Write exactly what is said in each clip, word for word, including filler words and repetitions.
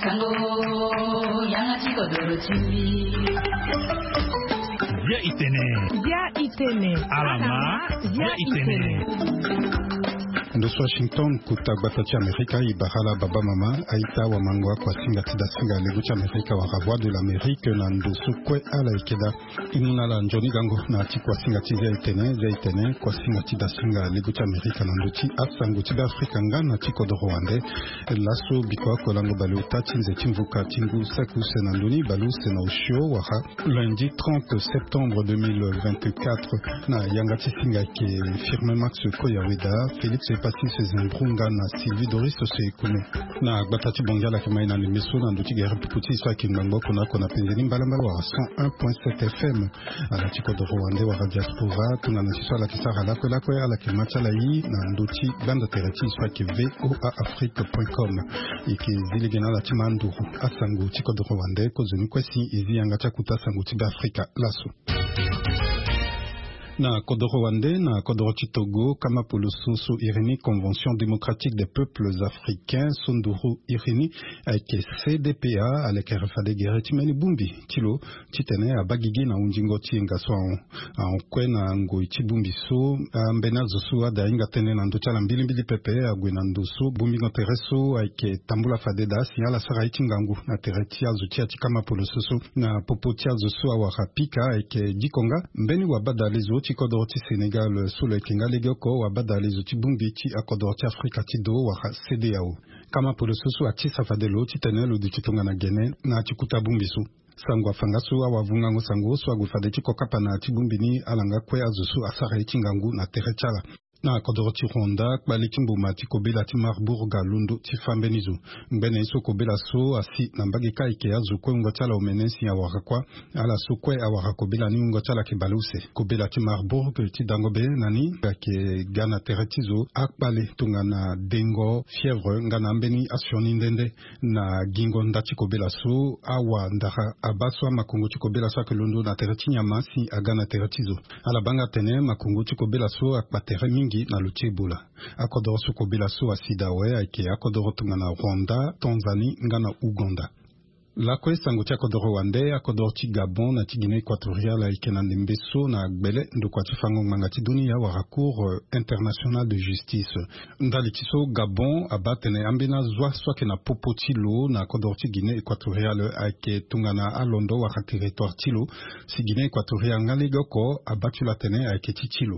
Sango, yanga ti kodoro ti mbi. Bia itene. Bia itene. Alama, bia itene. Ndo so Washington, kota gbata ti Amerika, e bara ala baba mama, aita wamango, akuasinga ti dasinga lego ti Amerika wala Voix de l'Amérique na ndo so kue ala yeke daa. E mu na ala nzoni gango na ya ti kuasinga ti Bia itene, Bia itene, kuasinga ti dasinga lego ti Amerika na ndö ti asango ti Beafrika nga na ti kodoro wande. Laso biko oko lango baleota ti nze ti mvuka ti ngu saki use na ndö ni baleuse na osio wala lundi trente septembre deux mille vingt-quatre, na yanga ti singa ayeke Firmin Max Koyaweda, Félix Epasis Zimbrunga na Sylvie Doris Osekono. Na gbata ti Bongi ala yeke mai na ndembe so na ndö ti gere pupu ti e so ayeke ngbangbo oko na oko na penze ni mbalambala wala cent un point sept F M. Ala ti kodoro wande wala diaspora, tongana si so ala yeke sara lakue lakue, ala yeke ma ti ala ye na ndö ti gbanda tere ti e so ayeke V O A Afrique point com. E yeke zi lege na ala ti ma nduru asango ti kodoro wande, kozoni kue si e zi yanga ti akota sango ti Beafrika laso. Na kodoro wande, na kodoro ti Togo, kama poloso so iri ni Convention Démocratique des Peuples Africains, so nduru iri ni ayeke C D P A, ala yeke re fade gere ti mbeni bongbi ti lo titene abaa gigi na hundingo ti yenga so ahon. Ahon kue na ngoi ti bongbi so, ambeni azo so ada ahinga tënë na ndö ti ala mbilimbili pepe ague na ndo so bongbingo tere so ayeke tambula fade daa si ala sara ye ti ngangu na tere ti azo ti ya ti kama poloso so. Na popo ti azo so awara pika ayeke diko nga mbeni wabadale zo ti kodoro ti Sénégal so lo yeke nga legeoko wabadale zo ti bongbi ti akodoro ti Afrika ti do wala C D A O. Kama poloso so atisa fade lo titene lo duti tongana gene na ya ti kota bongbi so. Sango afa nga so awavungango sango so ague fade ti kokapa na ya ti bongbi ni ala nga kue azo so asara ye ti ngangu na tere ti ala. Na kodoro ti Rwanda, kpale ti mboma ti kobela ti Marburg alondo ti fâ mbeni zo. Ngbene ye so kobela so asi na mbage kâ ayeke azo kue wungo ti ala omene si awara kuâ. Ala so kue awara kobela ni wungo ti ala ayeke baleuse. Kobela ti Marburg ti dango be na ni ayeke ga na tere ti zo akpale tongana dengo, fièvre nga na ambeni asioni nde nde. Na gingo nda ti kobela so, awandara abaa so amakongo ti kobela so ayeke londo na tere ti nyama si aga na tere ti zo. Ala baa nga atene makongo ti kobela so akpa tere mingi na lo ti Ebola. Akodoro so kobela so asi daa awe ayeke akodoro tongana Rwanda, Tanzanie nga na Ouganda. Lakue sango ti akodoro wande, akodoro ti Gabon na ti Guinée Équatoriale ayeke na ndembe so na gbele ndokua ti fango ngbanga ti dunia wala Cour, euh, internationale de justice. Ndali ti so Gabon abaa atene ambeni azo so ayeke na popo ti lo na kodoro ti Guinée Équatoriale ayeke tongana alondo wala territoire ti lo. Si Guinée Équatoriale nga legeoko abaa ti lo atene ayeke ti ti lo.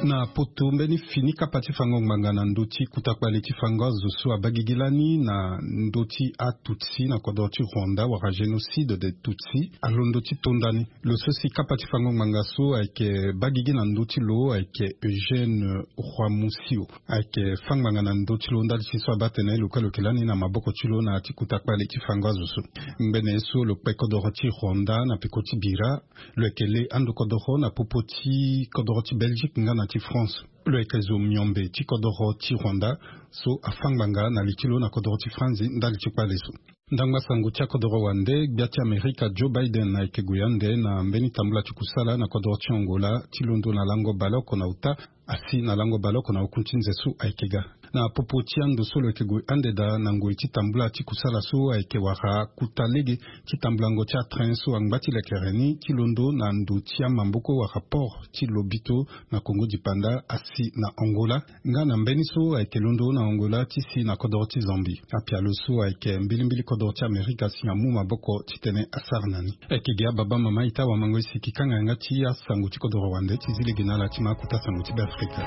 Na poto, mbeni fini kapa ti fango ngbanga na ndö ti kota kpale ti fango azo so abaa gigi lani na ndö ti Atutsi na kodoro ti Rwanda wala génocide des Tutsi alondo ti to ndani. Lo so si kapa ti fango ngbanga so ayeke baa gigi na ndö ti lo ayeke Eugène Rwamusio. Ayeke fâ ngbanga na ndö ti lo ndali ti so abaa atene lo kue lo yeke lani na maboko ti lo na ya ti kota kpale ti fango azo so. Ngbene ye so lo kpe kodoro ti Rwanda na peko ti bira, lo yeke le ando kodoro na popo ti kodoro ti Belgique nga na ti France. Lo yeke zo miombe ti kodoro ti Rwanda so afâ ngbanga na li ti lo na kodoro ti France ndali ti kpale so. Ndangba sango ti akodoro wande, gbia ti Amerika Joe Biden ayeke gue ande na mbeni tambula ti kusala na kodoro ti Angola ti londo na lango baleoko na ota asi na lango baleoko na okun ti nze so ayeke ga. Na popo ti ando so lo yeke gue ande daa na ngoi ti tambula ti kusala so ayeke wara kota lege ti tambulango ti atrain so angba ti lekere ni ti londo na ndo ti amamboko wala port ti Lobito na Kongo dipanda asi na Angola. Nga na mbeni so ayeke londo na Angola ti si na kodoro ti Zambie. Apialo so ayeke mbilimbili kodoro ti Amerika si amu maboko titene asara na ni. Ayeke gi ababa mama ita wamango e siki kanga yanga ti asango ti kodoro wande ti zi lege na ala ti ma kota sango ti Beafrika.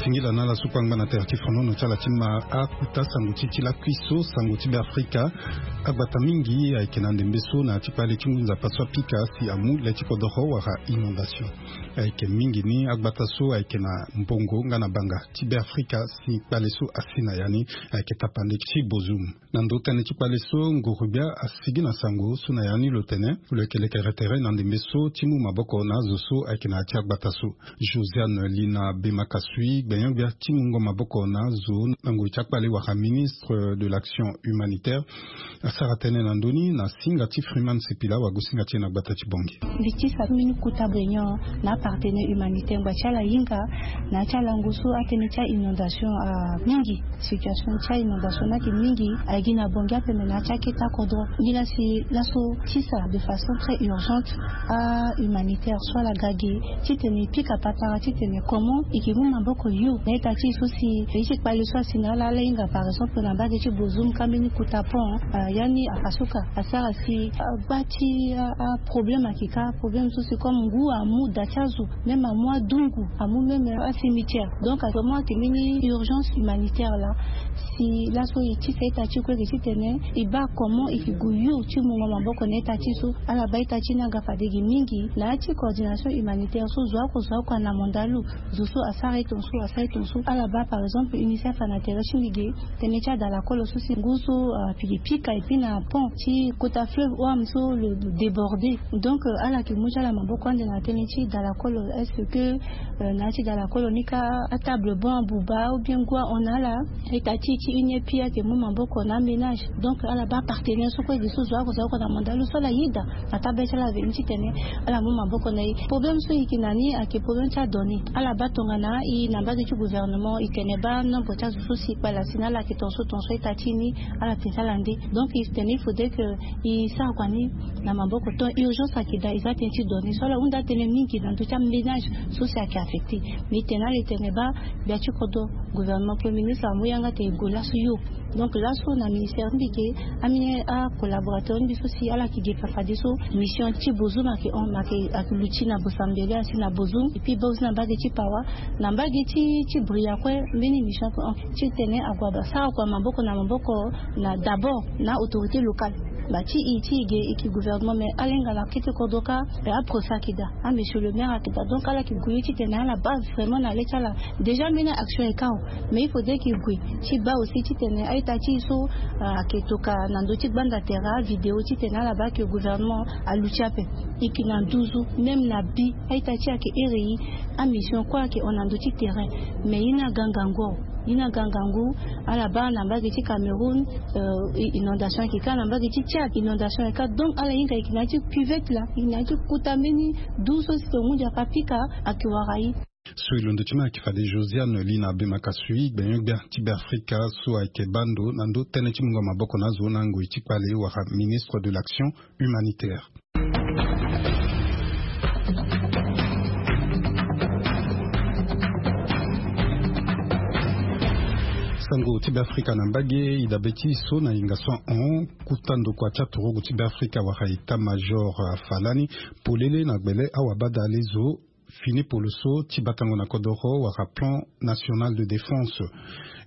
Singila na ala so kpangba na tere ti fonono ti ala ti ma akuta sango ti ti lakui so sango ti Beafrika. Agbata mingi ayeke na ndembe so na ya ti kpale ti ngu nzapa so apika si amu le ti kodoro wala inondation. Ayeke mingi ni agbata so ayeke na mbongo nga na banga ti Beafrika si kpale so asi na ya ni ayeke tapande ti bozum. Na ndo tënë ti kpale so nguru-gbia asigi na sango so na ya ni lo tene lo yeke lekere tere na ndembe so ti mu maboko na azo so ayeke na ya ti agbata so. Josiane Lina Bemakasui gbenyo-gbia ti mungo maboko na azo na ngoi ti akpale wala ministre de l'action humanitaire asara tënë na ndö ni na singa ti Freeman Sipila wagosinga ti e na gbata ti Bangui. Mbi tisa mbeni kota gbenyo na apartenaire humanitaire ngba ti ala hinga na ya ti alango so atënë ti ainondation amingi. Situation ti ainondation ni ayeke mingi. Ayeke gi na Bangui ape me na ya ti akete akodro. Ngi laa si laso tisa de façon très urgente ahumanitaire so ala ga ge titene e pika patara titene comment e ke mu maboko yo na ita ti e so si e ye ti kpale so asi na ala ala hinga par exemple na mbage ti bozum ka mbeni kota pont. Ya ni afasuka asara si agba ti aproblème ayeke ka problème so si comme ngu amu da ti azo même amu adungu amu même acimetière. Donc vraiment ayeke mbeni urgence humanitaire laa si laso e tisa ita ti e kue eke titene e baa comment e ke gue yo ti mungo maboko na ita ti e so. Ala baa ita ti e ni aga fade ge mingi na ya ti coordination humanitaire so zo oko zo oko ana mandalu. Zo so asara e tongaso asara e tongaso ala baa par exemple UNICEF ana tere ti mbi ge tënë ti adalakolo so si ngu so apike pika epui na pont ti kota fleuve oam so lo déborde. Donc ala ke mu ti ala maboko ande na tënë ti dalakolo est-ce que na ya ti dalakolo ni ka atable bon abuba ou bien ngu ahon na ala. Ita ti e ti uni epui ayeke mu maboko na aménage. Donc ala baa apartenaire so kue ge so zo oko zo oko na mandalu so ala yeda na tabê ti ala aveni titene ala mu maboko na e. Problème so e yeke na ni ayeke problème ti adonnées. Ala baa tongana e na mbage ti gouvernement e tene baa nombre ti azo so si kpale asi na ala ayeke tongaso tongaso ita ti e ni ala tene ti ala nde. Donc e tene il faudrait que e sara kua ni na maboko ton urgence ayeke daa e za tënë ti données so ala hunda tënë mingi na ndö ti aménage so si ayeke affecté. Mais e tene ala e tene baa gbia ti kodro gouvernement premier ministre amu yanga tene e gue laso yo. Donc laso na ministère ti mbi ge ambeni acollaborateur ti mbi so si ala yeke ge fa fadeso mission ti bozum ayeke hon ayeke luti na bosambele asi na bozum epui baa aussi na mbage ti pawa na mbage ti ti bria kue. Mbeni mission ayeke hon titene ague asara kua maboko na maboko na d'abord na autorité locale. Ba ti e ti e ge e yeke gouvernement mais ala hinga na kete kodro ka aprofi ayeke daa. Amosieur le maire ayeke daa donc ala yeke gue ye titene ala baa vraiment na le ti ala. Déjà mbeni action e ka awe. Mais il faudrait ke gue ti baa aussi titene a-ita ti e so ayeke toka na ndö ti gbanda tere avidéo titene ala baa ke gouvernement aluti ape. E yeke na nduzu même na bi a-ita ti e ayeke iri e. Amission kue ayeke hon na ndö ti terrain. Mais ye ni aga ngangu awe. Ye ni aga ngangu. Ala baa na mbage ti Cameroun inondation ayeke ka na mbage ti Tchad inondation ayeke ka donc ala hinga e yeke na ya ti cuvette laa e yeke na ya ti kota mbeni du so si tonga hunzi ape apika. Ayeke wara e. So e londo ti ma ayeke fade Josiane Lina Bemakasui gbenyo-gbia ti Beafrika so ayeke baa ndo na ndö tënë ti mungo maboko na azo na ngoi ti kpale wala ministre de l'action humanitaire. Sango ti Beafrika na mbage e dabe ti e so na hinga so ahon. Kota ndokua ti aturugu ti Beafrika wala état major afa lani polele na gbele awabadale zo fini poloso ti batango na kodoro wala plan national de défense.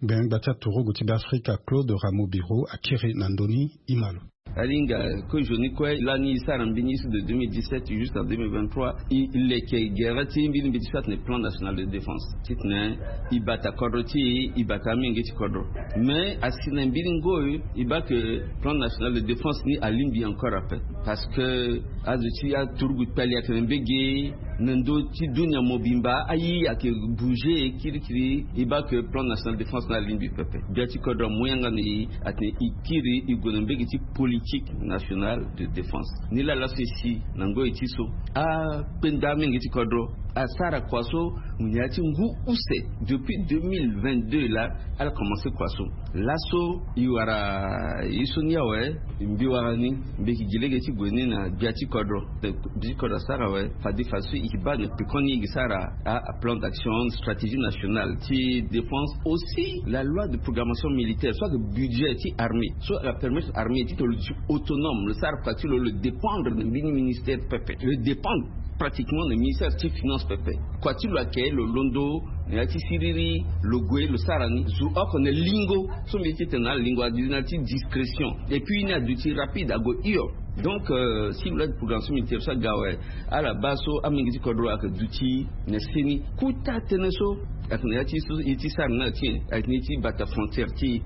Gbenyo-gbia ti aturugu ti Beafrika Claude Rameau Biro akiri na ndö ni. E ma lo. Alinga kozo ni kue lani e sara mbeni ye so de deux mille dix-sept jusqu'à deux mille vingt-trois e leke gere ti mbeni mbeti so atene plan national de défense titene e bata kodro ti e e bata amenge ti kodro. Mais asi na mbeni ngoi e baa ke plan national de défense ni alingbi encore ape. Parce que azo ti aturugu kpali ayeke na mbege na ndö ti dunia mobimba aye ayeke bouger kirikiri. E baa ke plan national de défense ni alingbi pepe. Gbia ti kodro amu yanga na e atene e kiri e gue na mbege ti politique nationale de défense. Nilaa laso e si na ngoi ti so akpenda amenge ti kodro asara kua so na ya ti ngu use depuis deux mille vingt-deux laa. Ala commence kua so laso e wara ye so ni awe. Mbi wara ni mbi yeke gi lege ti gue ni na gbia ti kodro. Mbi ti kodro asara awe fade fadeso e yeke baa na pekoni e yeke sara aplan d'action stratégie nationale ti défense aussi la loi de programmation militaire so ayeke budget ti armée so ayeke permettre armée ti tene lo duti autonome lo sara kua ti lo lo dépendre na mbeni ministère pepe lo dépendre. Pratiquement na ministère ti finance pepe. Kua ti lo ayeke lo londo na ya ti siriri, lo gue lo sara ni zo oko na lingo. So mbi ye ti tene na ala lingo adi na ya ti discrétion. Et puis ni aduti rapide ague hio. Donc si lo la programme so mbi tene so aga awe, ala baa so amolenge ti kodro ayeke duti na seni. Kota tënë so ayeke na ya ti so e ti sara na ala ti nyen? Ayeke na e ti bata frontière ti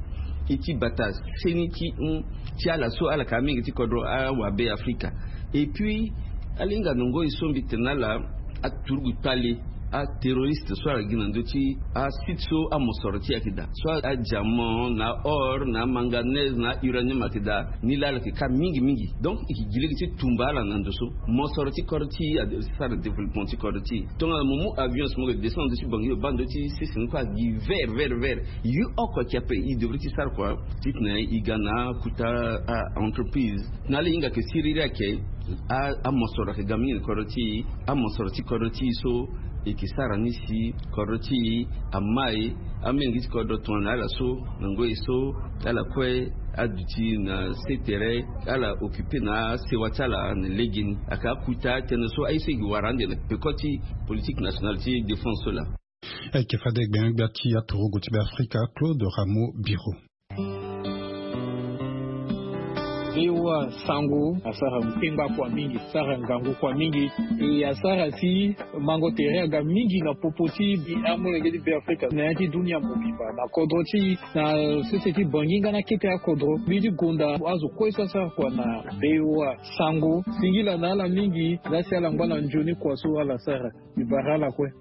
e, e ti bata seni ti hon ti ala so ala yeke amolenge ti kodro awabe afrika. Et puis ala hinga na ngoi so mbi tene na ala, aturugu kpale, aterroriste so ala gi na ndö ti asite so amosoro ti e ayeke daa, so adiamant na or na amanganèse na auranium ayeke daa. Ni laa ala yeke ka mingi mingi. Donc e yeke gi lege ti tumba ala na ndo so mosoro ti kodro ti e asara développement ti kodro ti e. Tongana mo mu avion so mo yeke descendre ti bangi lo baa ndö ti sese ni kue agi vert vert vert. Ye oko ayeke ape e devrait ti sara kua titene e ga na akuta a-entreprise. Na ala hinga ayeke siriri ayeke amosoro ayeke ga mingi na kodro ti e. Amosoro ti kodro ti e so e yeke sara ni si kodro ti e amai. Amolenge ti kodro tongana ala so na ngoi so ala kue aduti na se tere ala occupe na asewa ti ala na legeni. Ayeke akuta tënë so aye so e gi wara ande na peko ti politique nationale ti défense so laa. Ayeke fade gbengbe ti aturugu ti be afrika Claude Rameau Biro. Voa sango asara kpengba kua mingi, asara ngangu kua mingi. E asara si mango tere aga mingi na popo ti amolenge ti be afrika na ya ti dunia mobimba na kodro ti e na sese ti bangi nga na kete akodro. Mbi ti gonda azo kue so asara kua na voa sango singila na ala mingi. Laa si ala ngba na nzoni kua so ala sara. Mbi bara ala kue.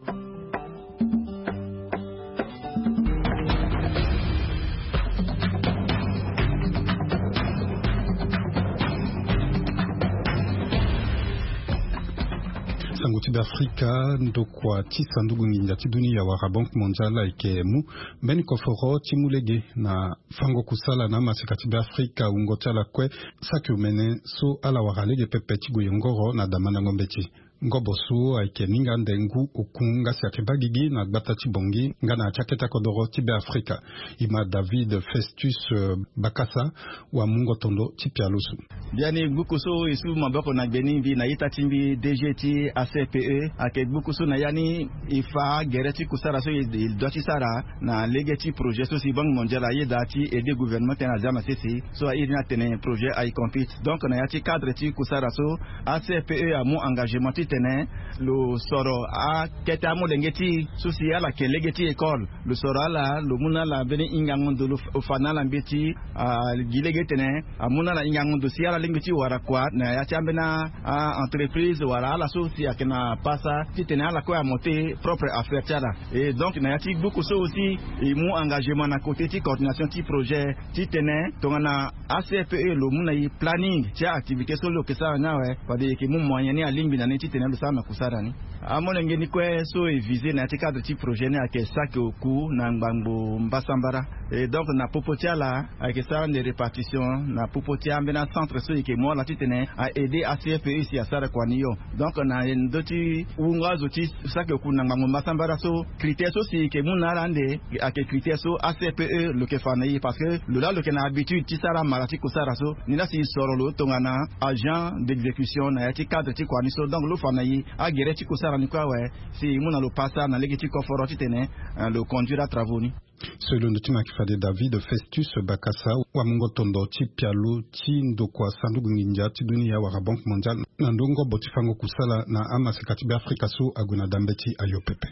Sango ti be afrika, ndokua ti sanduku nginza ti dunia wala Banque Mondiale ayeke mu mbeni koforo ti mu lege na fango kusala na amaseka ti be afrika. Wungo ti ala kue saki omene so ala wara lege pepe ti gue yongoro na damandango mbeti. Ngobo so ayeke ninga ande ngu oku nga si ayeke baa gigi na gbata ti Bangui nga na ya ti akete akodoro ti be afrika. E ma David Festus Bakasa, wamungo tondo ti pialo so. Biani gbuku so e su maboko na gbe ni mbi na ita ti mbi D G ti A C P E. Ayeke gbuku so na ya ni e fa gere ti kusara so e dua ti sara na lege ti projet so si Banque Mondiale ayeda ti aider gouvernement tënë azia na sese. So airi ni atene projet aye compete. Donc na ya ti cadre ti kusara so, A C P E amu engagement titene lo soro akete amolenge ti e so si ala yeke lege ti école. Lo soro ala, lo mu na ala mbeni hingango ndo, lo fa na ala mbeti. Agi lege titene amu na ala hingango ndo si ala lingbi ti wara kua na ya ti ambeni a-entreprise wala ala so si ayeke na pasa titene ala kue amonter propre affaire ti ala. Et donc na ya ti gbuku so aussi e mu engagement na côté ti coordination ti projet titene tongana A C P E lo mu na e planning ti a-activité so lo yeke sara ni awe, fade e yeke mu moyen ni alingbi na ni titene lo sara na kusara ni. Amolenge ni kue so e viser na ya ti cadre ti projet ni ayeke saki oku na ngbangbo mbasambara. Et donc na popo ti ala ayeke sara ande répartition na popo ti ambeni acentre so e yeke mu ala titene a-aider A C P E si asara kua ni hio. Donc na ndö ti wungo azo ti saki oku na ngbangbo mbasambara so, critère so si e yeke mu na ala ande ayeke critère so A C P E lo yeke fa na e, parce que lo laa lo yeke na habitude ti sara mara ti kusara so. Ni laa si e soro lo tongana agent d'exécution na ya ti cadre ti kua ni so, donc lo fa na e agere ti kusara ni kue awe si e mu na lo pasa na lege ti koforo titene lo conduire atravaux ni. So e londo ti mo ayeke fade David Festus Bakasa, wamungo tondo ti pialo ti ndokua sanduku nginza ti dunia wala Banque Mondiale na ndö ngobo ti fango kusala na amaseka ti be afrika so ague na dambe ti ayo pepe.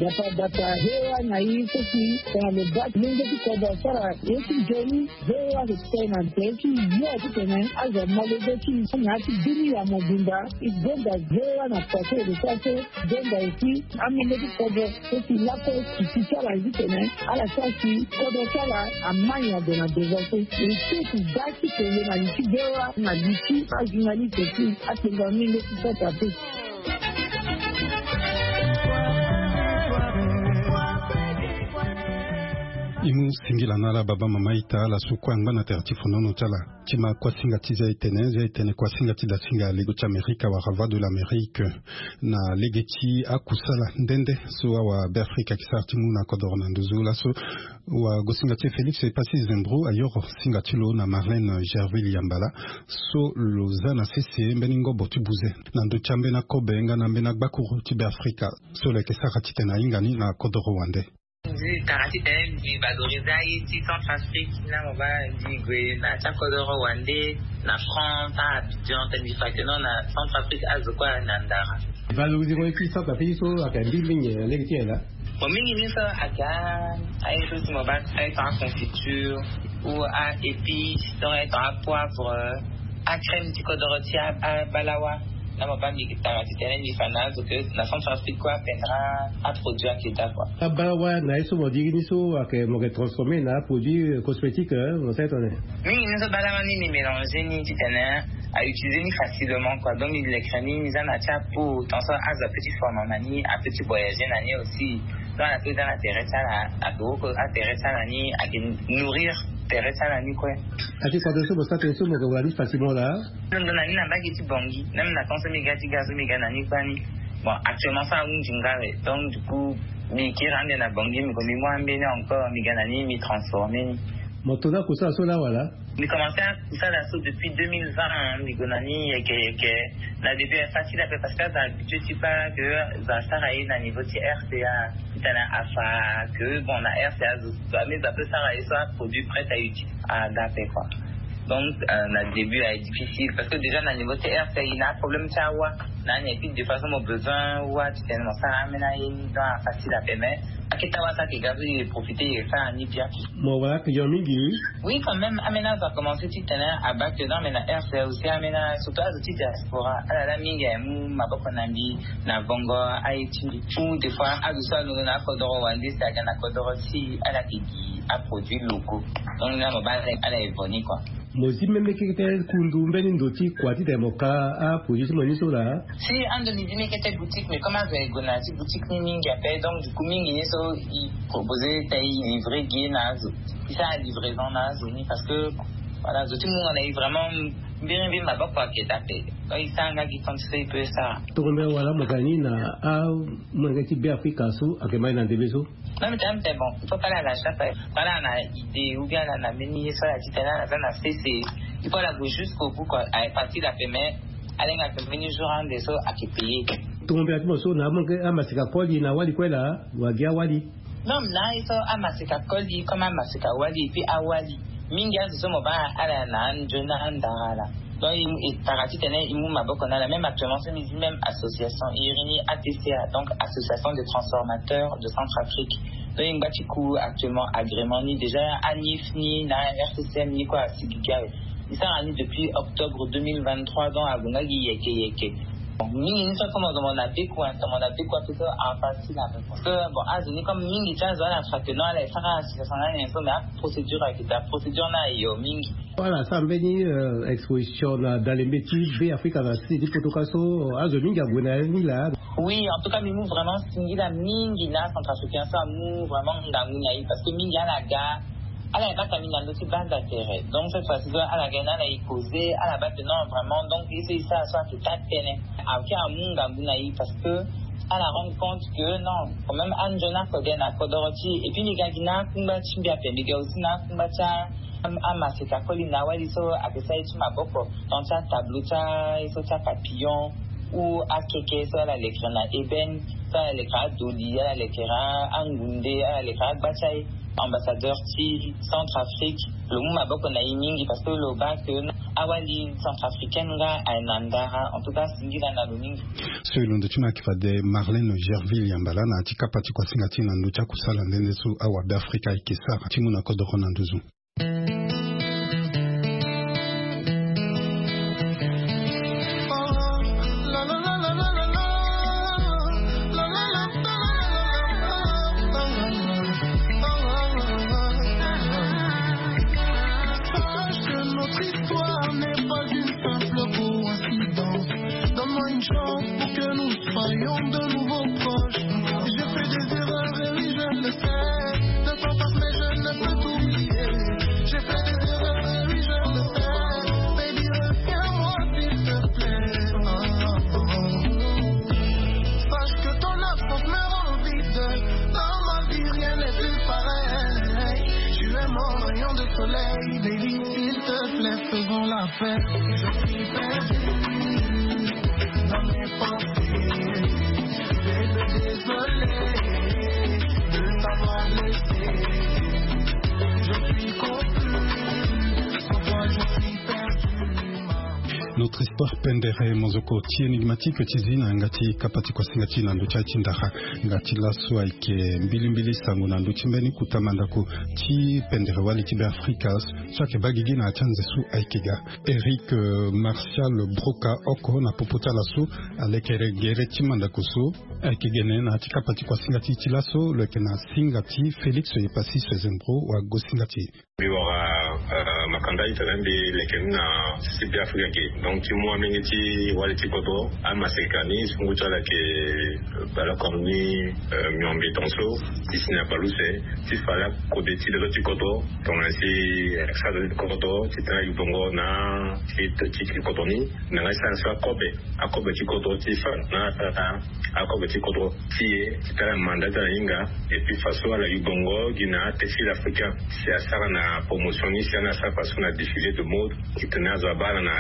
Dapa dapa, voa na e so si tongana lo baa lenge ti kodro asara ye ti nzoni. Voa lo kpe na nze ti yo titene azo amolenge ti e na ya ti dunia mobimba. E gonda voa na kua so e lo sara so. Gonda aussi amolenge ti kodro so si lakue titi ti ala titene ala sara si kodro ti ala amai ade na devant so. E so e si baa ti kele na li ti voa na li ti ajournaliste ti atenga mingi ti sota pe. E mu singila na ala baba mama ita, ala so kue angba na tere ti fonono ti ala. Ti ma kuasinga ti zia etene, zia etene kuasinga ti dasinga lego ti Amerika wala Voix de l'Amérique. Na lege ti akusala nde nde so awa Beafrika ayeke sara ti mu na kodoro na nduzu laso, wagosinga ti e Félix Passy Zembro ayoro singa ti lo na Marlène Gerville Yambala, so lo za na sese mbeni ngobo ti buze na ndö ti ambeni akobe nga na ambeni agbakuru ti Beafrika so lo yeke sara titene ahinga ni na kodoro wande. Mbi tara titene mbi valoriser aye ti Centrafrique, na mo baa mbi gue na ti akodoro wande, na France, na Abidjan, titene mbi fa que non, na Centrafrique azo kue na ndara. Valoriser ngo ye ti Centrafrique so ayeke mbi mingi na lege ti nyen laa? Bon, mingi ni so ayeke a, aye so ti mo baa aye tongana aconfiture ou a-épice, donc aye tongana apoivre, acrème ti kodoro ti a, abalawa. Na mo baa mbi tara titene mbi fa na azo que na Centrafrique kue apendra aproduit ayeke daa kua. Abalawa na ye so mo diri ni so ayeke, mo yeke transformer na aproduit cosmétique, eh, mo sara tongana nyen? Mingi ni so balawa ni mbi mélanger ni titene autiliser ni facilement kua. Donc mbi leke ni, mbi za na ti apo, tant so azo apeut ti former na ni, apeut ti voyager na ni aussi. Donc ala so eza na tere ti ala, ayeke woko atere ti ala ni, ayeke nourrir tere ti ala ni kue. Ati kua tene so mo sara tene so mo yeke wara ni facilement laa? Ndo na ni na mbage ti Bangui, même na temps so mbi ga ti ga so mbi ga na ni kue ni. Bon, actuellement so ahunzi nga awe, donc du coup mbi kiri ande na Bangui, mbi ko mbi mu ambeni encore, mbi ga na ni, mbi transformer ni. Mo to ni akusala so laa wala? Mbi commencer akusala so depuis deux mille vingt, hein, mbi gue na ni yeke yeke. Na début ayeke facile ape parce que azo habitué ti baa que azo asara ye na niveau ti R C A. Titene afa que bon, na R C A azo, azo apeut sara ye so aproduit prêt à utiliser ada ape kua. Donc, euh, na début ayeke difficile parce que déjà na niveau ti R C A e na aproblème ti awa. Na ni, et puis des fois so mo besoin wâ titene mo sara ambeni aye ni, donc ayeke facile ape, mais akete awa so ayeke ga so e profiter e sara ni bien. Mo wara client mingi? Oui, quand même, ambeni azo akomense titene abaa que non, mais na R C A aussi ambeni, surtout azo ti diaspora, ala laa mingi aye mu maboko na mbi na vongo aye ti mbi. Ou des fois azo so alondo na akodoro wande si aga na kodoro ti ala yeke gi aproduit locaux. Donc na mo baa ala evo ni kua. Mo zi même kete kundu mbeni ndo ti kua titene mo ka aproduit ti mo ni so laa? Si, ando mbi zi mbi kete boutique, mais comme azo aye gue na ya ti boutique ni mingi ape, donc du coup mingi ni so e proposer titene e livrer gi na azo, e sara livraison na azo ni parce que, voilà, zo ti mungo na e vraiment mbirimbiri maboko ayeke daa ape. Donc e sara nga gi temps so e peut sara. Tongombe wala mo ga ni na amolenge ti Beafrika so ayeke ma e na ndembe so? Non, mais quand même, c'est bon. Il faut pas aller à la chasse. Voilà, on a idée, ou bien on a mené ça, la titane, on a fait, on a fait, c'est, il faut aller jusqu'au bout, quoi. Avec parti la paiement, aller, on a fait venir jour un des autres, à qui payer. Tongombe ati mo so na amaseka koli na awali kue laa, wala gi awali? Non, na ye so amaseka koli comme amaseka wali, et puis awali. Mingi azo so mo baa ala na anzoni na andara ala. Donc e tara titene e mu maboko na ala. Même actuellement so mbi zi même association, e iri ni A T C A, donc Association des Transformateurs de Centrafrique. Donc e ngba ti ku actuellement agrément ni, déjà ANIF ni na R C C M ni kue asigi gi awe. E sara ni depuis octobre deux mille vingt-trois, donc ague nga gi yeke yeke. Bon, mingi ni so comme mo na beku, mo na beku ape so, ah, facile ape. Parce que bon, azo ni comme mingi ti azo ala fa que non, ala e sara association na ni so, mais aprocédure ayeke daa, procédure ni ayo mingi. Ala sara mbeni, euh, exposition na dalembe ti Beafrika na sese ti poto ka so, azo mingi ague na ni laa? Oui, en tout cas mbi mu vraiment singila mingi na Centrafricain so amu vraiment ngangu na e, parce que mingi ala ga, ala e bata mbi na ndö ti banda tere. Donc cette fois-ci so ala ga ni, ala e causer, ala baa que non vraiment, donc ye so e sara so ayeke taa tënë. Ayeke amu ngangu na e parce que ala rendre compte que non, quand même anzoni akode na kodoro ti e. Et puis mbi ga gi na akungba ti mbi ape, mbi ga aussi na akungba ti a, am-, amaseka koli na awali so ayeke sara ye ti maboko, donc ti atableau ti a, ye so ti apapillon ou akeke so ala lekere na ébène, so ala lekere adoli, ala lekere a, angunde, ala lekere agba ti aye. Ambassadeur ti Centrafrique, lo mu maboko na e mingi parce que lo baa que awali centrafricaine nga aye na ndara. En tout cas singila na lo mingi. So e londo ti mo ayeke fade Marlène Gerville Yambala na ya ti kapa ti kuasinga ti e na ndö ti akusala nde nde so awa Beafrika ayeke sara ti mu na kodoro na nduzu. Sache que notre histoire n'est pas une simple coïncidence. Donne-moi une chance pour que nous soyons de nouveau proches. J'ai fait des erreurs et oui, je le sais. Le temps passe, mais je ne Soleil, baby, s'il te plaît, faisons la fête. Je suis perdu dans mes pensées. Bébé, désolé de t'avoir laissé. Je suis confus, sans toi, je suis perdu. Notre histoire pendere, mozoko ti énigmatique ti zi na yanga ti kapa ti kuasinga ti na ndö ti aye ti ndara. Yanga ti laso ayeke mbilimbili sango na ndö ti mbeni kota mandako ti pendere wali ti Beafrika so ayeke baa gigi na ya ti anze so ayeke ga. Eric, euh, Martial Broca oko na popo ti ala so alekere gere ti mandako so ayeke gene na ya ti kapa ti kuasinga ti e ti laso, lo yeke na singa ti Félix Epassis Sezembro wa gosinga ti e. Mbi wara, euh, makanda itene mbi leke ni na sisi Beafrika ge. Donc ti mu amenge ti wali ti kodro, amaseka ni sungu ti ala ayeke, euh, baleoko ni, euh, miombe tongaso ti si na baleuse, ti fade akode ti le so ti kodro. Tongana si, euh, sara ti kodro ti tene ayubongo na ti, ti, ti kodro ni, na nga ti sara so akobe, akobe ti kodro ti fa na, na, na akobe ti kodro ti e ti tara manda ti ala na hinga. Et puis faso ala yubongo gi na textile africain, si asara na promotion ni, si ana asara faso na défilé de mode, ti tene azo abaa ala na,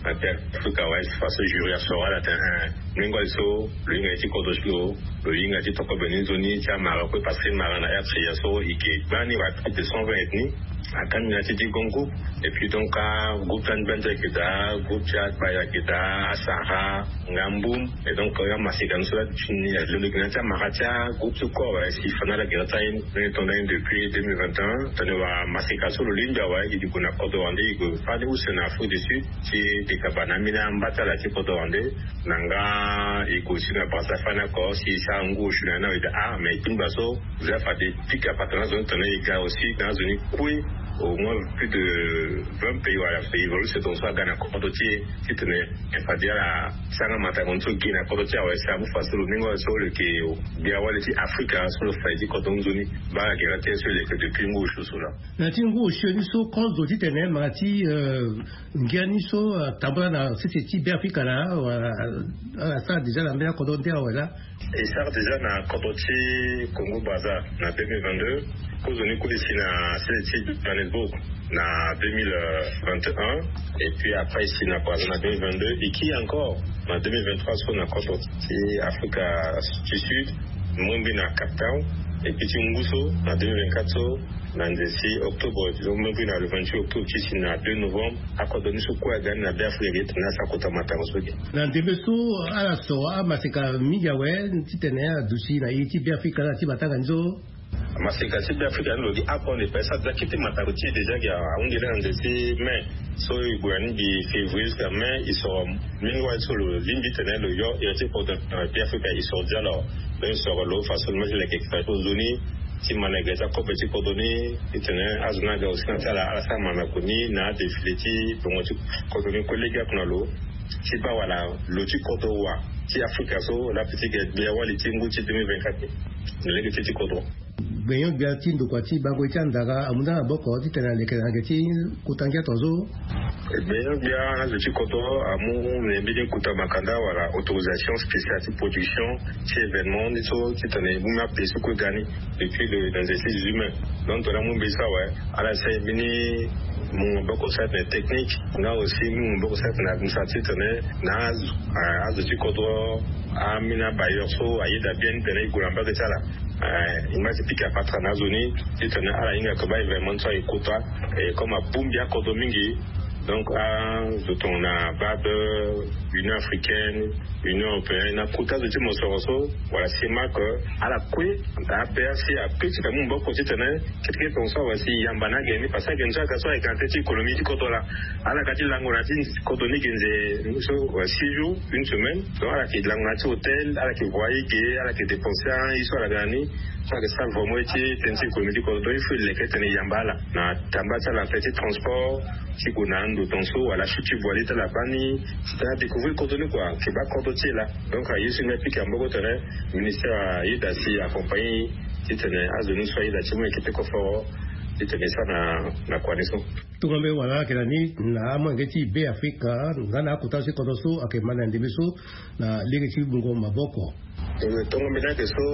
na terre afrika awe. Faso jury asoro ala tene, eh, mengo ali so lo hinga ye ti kodro ti lo, lo hinga ti toko bene nzoni ti amara kue, parce que mara na R C A so e ke gbani wa plus de cent vingt ethnie. Akani na ti ti grand groupe. Et puis donc, ah, groupe ti Angbandi ayeke daa, groupe ti Agbay ayeke daa, Asara, nga Mbum. Et donc, euh, amaseka ni so la ti ni alondo gi na ti amara ti agroupe so kue awe, si fa na ala gi na ti aye ni, tongana depuis deux mille vingt et un, tongana wa maseka so lo lingbi awe, e gue na kodro wande, e gue fade use na Afrique du Sud, ti dekaba na ambeni amba ti ala ti kodro wande, na nga e gue aussi na Brazza fade oko, si e sara ngu osio na ni awe, e daa, ah, mais e tingba so, Za fade pika patara na azo ni tene e ga aussi na azo ni kue au moins plus de vingt pays wala pays évolué, c'est donc so aga na kodro ti e ti tene e fade ala sara nga matanga ni so gi na kodro ti e awe, si amu faso lo ni ngo so lo yeke gbia wali ti Afrika so lo fade ti kodro nzoni. Baa gere ti e so e leke depuis ngu osio so laa. Na ti ngu osio ni so kozo ti tene mara ti, euh, ngia ni so, euh, atambula na sese ti Beafrika laa, wala, euh, ala sara déjà na mbeni akodro nde awe laa. E sara déjà na kodro ti Congo Brazza na deux mille vingt-deux. Kozo ni kue e si na sese ti Johannesburg na deux mille vingt et un. Et puis après e si na Brazza na deux mille vingt-deux. E kiri encore na deux mille vingt-trois so na kodro ti Afrika du Sud, mungbi na Cape Town. Et puis ti ngu so na deux mille vingt-quatre so, na nze ti octobre, donc mungbi na le vingt-huit octobre ti si na deux novembre, akodro ni so kue aga ni na Beafrika ge tene asara kota matanga so ge. Na ndembe so ala soro amaseka mingi awe ti tene aduti na iri ti Beafrika na ti matanga ni so. Maseka ti Beafrika ni lo gi akonde pe sa za kete matanga ti e déjà gi ahunde na nze ti mai. So e gue na ni gi février jusqu'à mai, e soro mingi wali so lo lingbi tene lo yo iri ti kodro, euh, Beafrika e soro dia lo. Donc e soro lo façon mo ti leke fa ti nzoni ti mana gere ti akobe ti kodro ni. E tene azo ni aga aussi na ti ala, ala sara mana koni na adéfilé ti bongo ti kodro ni kue lege oko na lo. Ti baa wala lo ti kodro wa ti Afrika so la pe ti gere gbia wali ti ngu ti deux mille vingt-quatre ni na lege ti ti kodro. Gbenyo-gbia ti ndokua ti bango ye ti andara amu nda na maboko ti tene aleke na yanga ti kota ngia tongaso. Gbenyo-gbia azo ti kodro amu na mbeni kota makanda wala autorisation spéciale ti production ti événement ni so ti tene e mu mia pays so kue ga ni depuis le, na nze ti dix-huit mai. Donc tongana amu mbeni so awe, ala sara mbeni mu maboko sara tene technique, nga aussi mu maboko sara tene administratif tene na azo, eh, azo ti kodro, ambeni abailleur so ayeda bien ni tene e gue na mbage ti ala. Eh, e ma ti pika patara na azo ni ti tene ala hinga ke baa événement so aye kota, eh, comme abongbi akodro mingi. Donc azo tongana baa be Union africaine, Union européenne, na kota zo ti mosoro so, wala CEMAC, ala kue, A P R C, ape ti ka mu maboko ti tene, kete kete tongaso awe si e yamba na agene ni, parce que agene ni so aga so ayeke na tete ti économie ti kodro laa. Ala ga ti lango na ya ti kodro ni ge nze so, euh, six jours, une semaine. Donc ala yeke lango na ya ti hôtel, ala yeke voyer ge, ala yeke dépenser aye so ala ga na ni. So ala yeke sara vraiment ye ti tënë ti économie ti kodro. Donc il faut e leke tene e yamba ala na tamba ti ala na tënë ti transport, ti gue na ando tongaso wala achute ti voilier ti ala baa ni, ti tene adécouvrir kodro ni kua, ayeke baa kodro ti e laa. Donc aye so e nga pika maboko tene ministère ayeda si accompagner ti tene azo ni so ayeda ti mu yeke peko foro ti tene e sara na, na kua ni so. Tongana mbi wara ayeke na ni na amolenge ti Beafrika nga na akota so ti kodro so ayeke ma na ndembe so na lege ti mungo maboko. Tongo mbi na yeke so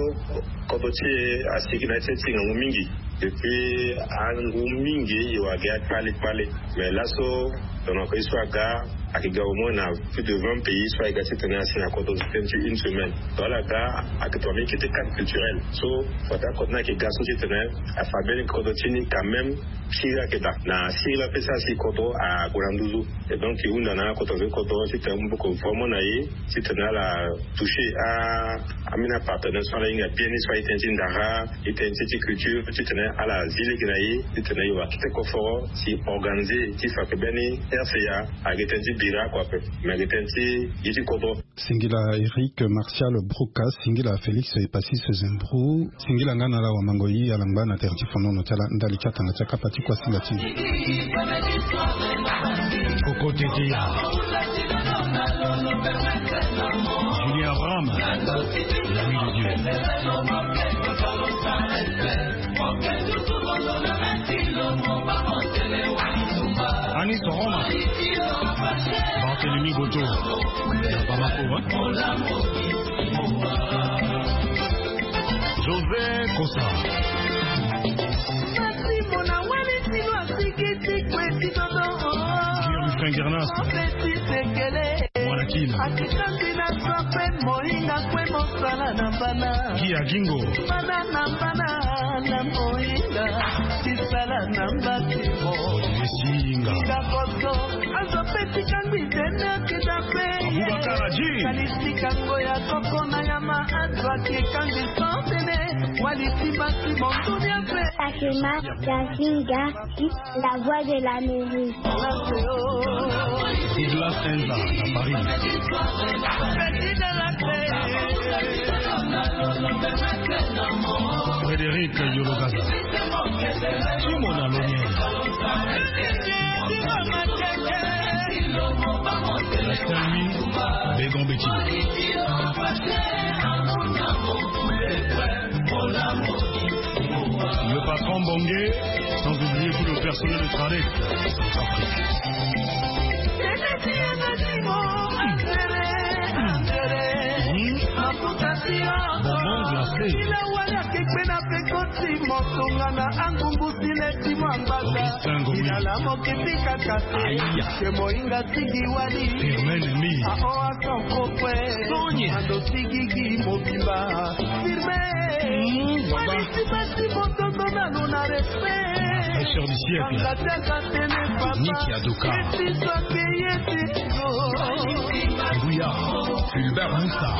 kodro ti e asigi na ya ti e ti ngangu mingi. Depuis angu mingi e wara gi akpale kpale. Mais laso, donc, ye so aga, ayeke ga au moins na plus de vingt pays so ayeke ga titene asi na kodro ti tënë ti une semaine. Donc ala ga, ayeke tongana mbeni kete cadre culturel so fade akodro ni ayeke ga so titene afa mbeni kodro ti ni quand même. Sirila ayeke daa na sirila ape so asi kodro ague na nduzu. Et donc e hunda na akodro ve kodro titene amu maboko vraiment na e titene ala toucher a, ambeni apartenaire so ala hinga bien ni so aye tënë ti ndara, aye tënë ti culture titene ala zi lege na e titene e wara kete koforo si organiser ti fa ayeke mbeni R C A. Ayeke tënë ti bira kua ape, mais ayeke tënë ti gi ti kodro. Singila Eric Martial Brouka, singila Félix Epasis Zembrou, singila nga na ala wamango ye ala ngba na tere ti fonono ti ala ndali ti atanga ti akapa ti kuasinga ti e. Koko Teteya, Julien Abraham, l'ami de Dieu. Anis Roma, Barthélemy Goto, ya Bamako, hein? José Kosa. Guillaume Fengernas. Mwana Kina. Akitaki na sape mohinga kue mosala na bana. Guy Agingo. Bana na bana na mohinga. Tisala na mbati mo. Olivier Singa. Kakoto. Azo pe tika ngbi tene akita pe. Abubakar Haji. Kalisika ngo ya koko na ya ma azo akikangi santene. Wali timbasi monduni ape. Fatima Jazinga, la voix de l'Amérique. Douglas Enza, à Paris. Frédéric Yologaza. Simon Alonier. Saint-Louis, Bégon Bétino. Le patron Bongué, sans oublier tout le personnel de Tradec. Bonbon glacé. Augustin Ngomi. Aya. Firmin Nemi. Sonia. Mmh, baba. Fraîcheur du siècle. Nicky Adoka. Bouya. Fulbert Moussa.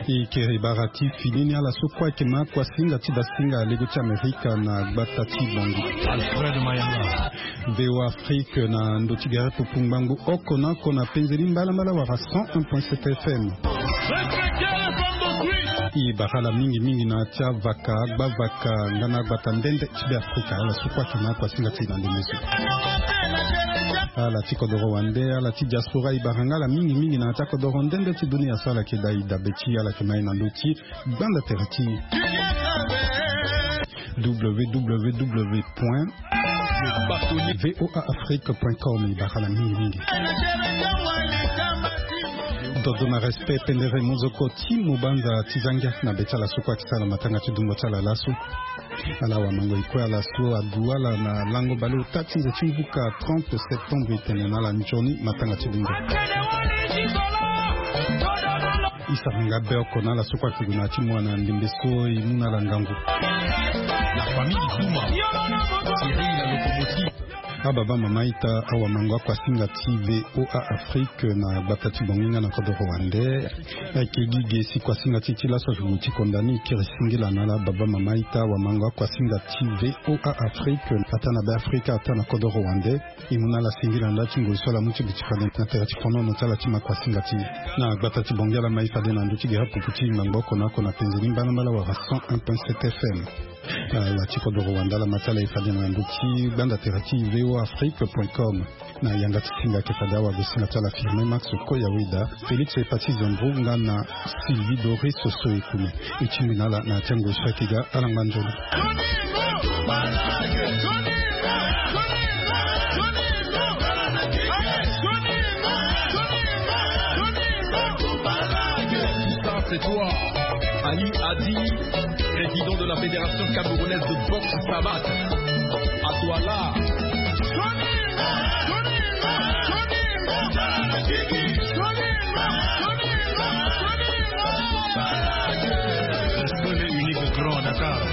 E kere bara ti fini ni ala so kue ayeke ma kuasinga ti basinga lego ti Amerika na gbata ti Bangui. Alfred Mayanga. V O A Afrique na ndo ti gere pupu ngbangbo oko na oko na penze ni mbalambala wala cent un point sept F M. E bara ala mingi mingi na ya ti avaka, agbavaka nga na agbata nde nde ti Beafrika, ala so kue ayeke ma kuasinga ti e na ndembe so. Ala ti kodoro wande, ala ti diaspora, e bara nga ala mingi mingi na ya ti akodoro nde nde ti dunia so ala yeke da e dabe ti e, ala yeke ma e na ndö ti gbanda tere ti e. W W W point V O A Afrique point com, e bara ala mingi mingi. Dodo na respect pendere mozoko ti mo banza ti zangia na be ti ala so kue ayeke sara matanga ti dungo ti ala laso. Ala wamango e kue ala so adu ala na lango baleota ti nze ti mvuka trente septembre, e tene na ala nzoni matanga ti dungo. E sara nga be oko na ala so kue ayeke gue na ya ti mo na ndembe so, e mu na ala ngangu. La famille Zuma, Thierry la locomotive. Ababa mama ita, awamango akuasinga ti V O A Afrique na gbata ti Bangui nga na kodoro wande. Ayeke gi ge si kuasinga ti e ti laso azugu ti konda ni e kiri singila na ala baba mama ita, awamango akuasinga ti V O A Afrique ataa na Beafrika, ataa na kodoro wande. E mu na ala singila na nda ti ngoi so ala mu ti duti fade na tere ti fonono ti ala ti ma kuasinga ti e. Na gbata ti Bangui ala ma e fade na ndö ti gere pupu ti e ngbangbo oko na oko na penze ni mbalambala wala cent un point sept F M. Ala ti kodoro wande ala ma ti ala e fade na ndö ti gbanda tere ti V O A Afrique point com. Na yanga ti singa ayeke fade awagosinga ti ala Firmin Max Koyaweda, Félix Epasis Zembrou nga na Sylvie Doris Sosoekume. E tingbi na ala na ya ti angoi so ayeke ga, ala ngba nzoni. C'est toi, Ali Adi, président de la Fédération camerounaise de boxe savate. À toi là. Unique grand Dakar.